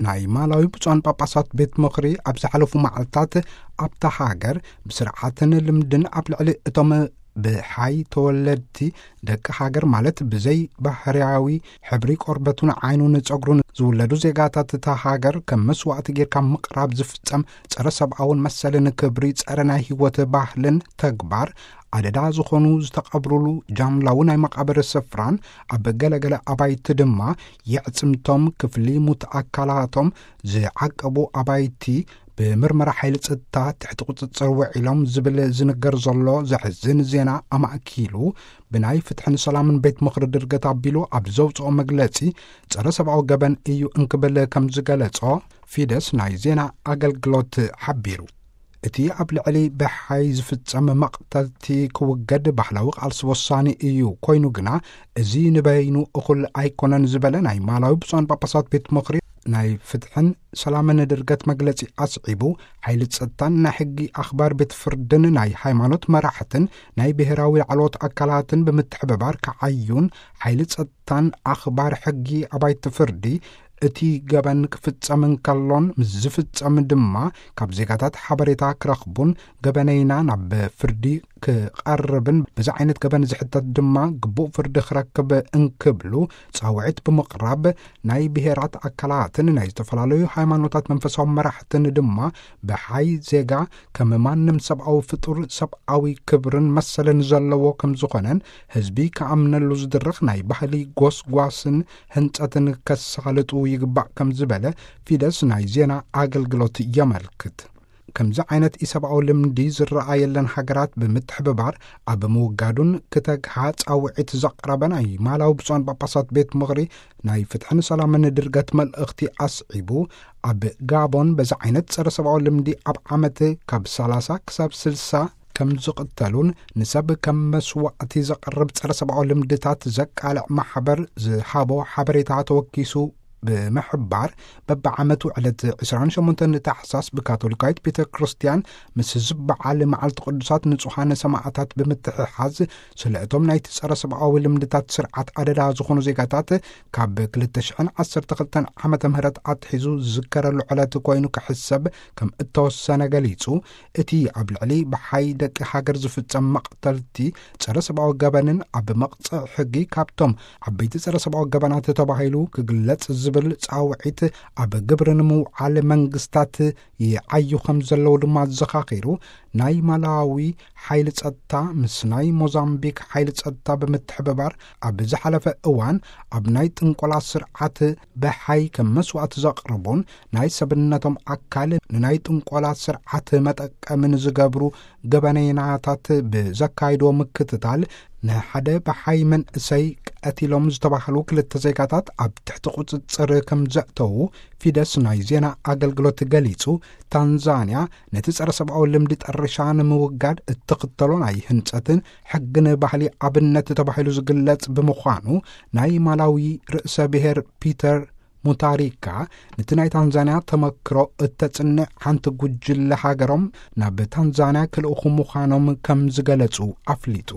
ናይ ማላዊ ብፁዓን ጳጳሳት ቤት ምኽሪ ኣብ ዝሓለፉ መዓልታት ኣብታ ሃገር ብስርዓትን ልምድን ኣብ ልዕሊ እቶም ብሓይ ተወለድቲ ደቂ ሃገር፣ ማለት ብዘይ ባህርያዊ ሕብሪ ቆርበቱን ዓይኑን ጸጉሩን ዝውለዱ ዜጋታት እታ ሃገር ከም መስዋዕቲ ጌርካ ምቕራብ ዝፍጸም ጸረ ሰብኣውን መሰልን ክብሪ፣ ጸረ ናይ ህይወት ባህልን ተግባር ኣደዳ ዝኾኑ ዝተቐብሩሉ ጃምላዊ ናይ መቓብር ስፍራን ኣብ ገለገለ ኣባይቲ ድማ የዕጽምቶም፣ ክፍሊ ሙት ኣካላቶም ዝዓቀቡ ኣባይቲ ብምርመራ ሓይሊ ጸጥታ ትሕቲ ቁጽጽር ውዒሎም ዝብል ዝንገር ዘሎ ዘሕዝን ዜና ኣማእኪሉ፣ ብናይ ፍትሕን ሰላምን ቤት ምኽሪ ድርገት ኣቢሉ ኣብ ዘውጽኦ መግለጺ፣ ጸረ ሰብኣዊ ገበን እዩ እንክብል ከም ዝገለጾ ፊደስ ናይ ዜና ኣገልግሎት ሓቢሩ። እቲ ኣብ ልዕሊ ብሓይ ዝፍጸም መቕተልቲ ክውገድ ባህላዊ ቃልሲ ወሳኒ እዩ፣ ኮይኑ ግና እዚ ንበይኑ እኹል ኣይኮነን ዝበለ ናይ ማላዊ ብፁዓን ጳጳሳት ቤት ምኽሪ፣ ናይ ፍትሕን ሰላምን ድርገት መግለጺ ኣስዒቡ፣ ሓይሊ ጸጥታን ናይ ሕጊ ኣኽባር ቤት ፍርድን ናይ ሃይማኖት መራሕትን ናይ ብሔራዊ ላዕለዎት ኣካላትን ብምትሕብባር ክዓዩን፣ ሓይሊ ጸጥታን ኣኽባር ሕጊ ኣባይቲ ፍርዲ እቲ ገበን ክፍጸም እንከሎን ምስ ዝፍጸም ድማ ካብ ዜጋታት ሓበሬታ ክረኽቡን፣ ገበነይና ናብ ፍርዲ ክቐርብን፣ በዚ ዓይነት ገበን ዝሕተት ድማ ግቡእ ፍርዲ ክረክብ እንክብሉ ጻውዒት ብምቕራብ፣ ናይ ብሔራት ኣካላትን ናይ ዝተፈላለዩ ሃይማኖታት መንፈሳዊ መራሕትን ድማ ብሓይ ዜጋ ከም ማንም ሰብኣዊ ፍጡር ሰብኣዊ ክብርን መሰልን ዘለዎ ከም ዝኾነን ህዝቢ ክኣምነሉ ዝድርኽ ናይ ባህሊ ጎስጓስን ህንጸትን ከሳልጡ ይግባእ ከም ዝበለ ፊደስ ናይ ዜና ኣገልግሎት የመልክት። ከምዚ ዓይነት ኢሰብኣዊ ልምዲ ዝረኣየለን ሃገራት ብምትሕብባር ኣብ ምውጋዱን ክተግሃ ጻውዒት ዘቕረበ ናይ ማላዊ ብፁዓን ጳጳሳት ቤት ምኽሪ ናይ ፍትሕን ሰላምን ድርገት መልእኽቲ ኣስዒቡ፣ ኣብ ጋቦን በዚ ዓይነት ጸረ ሰብኣዊ ልምዲ ኣብ ዓመት ካብ ሰላሳ ክሳብ ስልሳ ከም ዝቕተሉን ንሰብ ከም መስዋዕቲ ዘቕርብ ጸረ ሰብኣዊ ልምድታት ዘቃልዕ ማሕበር ዝሃቦ ሓበሬታ ተወኪሱ ብምሕባር፣ በብዓመቱ ዕለት ዕስራን ሸሞንተን ታሕሳስ ብካቶሊካዊት ቤተ ክርስቲያን ምስ ዝበዓል መዓልቲ ቅዱሳት ንጹሓን ሰማዕታት ብምትሕሓዝ፣ ስለ እቶም ናይቲ ጸረ ሰብኣዊ ልምድታት ስርዓት ኣደዳ ዝኾኑ ዜጋታት ካብ ክልተ ሽሕን ዓሰርተ ክልተን ዓመተ ምህረት ኣትሒዙ ዝዝከረሉ ዕለት ኮይኑ ክሕሰብ ከም እተወሰነ ገሊጹ፣ እቲ ኣብ ልዕሊ ብሓይ ደቂ ሃገር ዝፍጸም መቕተልቲ፣ ጸረ ሰብኣዊ ገበንን ኣብ መቕጽዕ ሕጊ ካብቶም ዓበይቲ ጸረ ሰብኣዊ ገበናት ተባሂሉ ክግለጽ ዝብል ጻውዒት ኣብ ግብሪ ንምውዓል መንግስታት ይዓዩ ከም ዘለዉ ድማ ኣዘኻኺሩ፣ ናይ ማላዊ ሓይሊ ጸጥታ ምስ ናይ ሞዛምቢክ ሓይሊ ጸጥታ ብምትሕብባር ኣብ ዝሓለፈ እዋን ኣብ ናይ ጥንቆላ ስርዓት ብሓይ ከም መስዋእቲ ዘቕርቡን ናይ ሰብነቶም ኣካል ንናይ ጥንቆላ ስርዓት መጠቀሚ ንዝገብሩ ገበነይናታት ብዘካይድዎ ምክትታል ንሓደ ብሓይ መንእሰይ ቀቲሎም ዝተባህሉ ክልተ ዜጋታት ኣብ ትሕቲ ቁጽጽር ከም ዘእተዉ ፊደስ ናይ ዜና ኣገልግሎት ገሊጹ። ታንዛንያ ነቲ ጸረ ሰብኣዊ ልምዲ ጠርሻ ንምውጋድ እትኽተሎ ናይ ህንጸትን ሕግን ባህሊ ኣብነት ተባሂሉ ዝግለጽ ብምዃኑ፣ ናይ ማላዊ ርእሰ ብሔር ፒተር ሙታሪካ ነቲ ናይ ታንዛንያ ተመክሮ እተጽንዕ ሓንቲ ጉጅለ ሃገሮም ናብ ታንዛንያ ክልእኹ ምዃኖም ከም ዝገለጹ ኣፍሊጡ።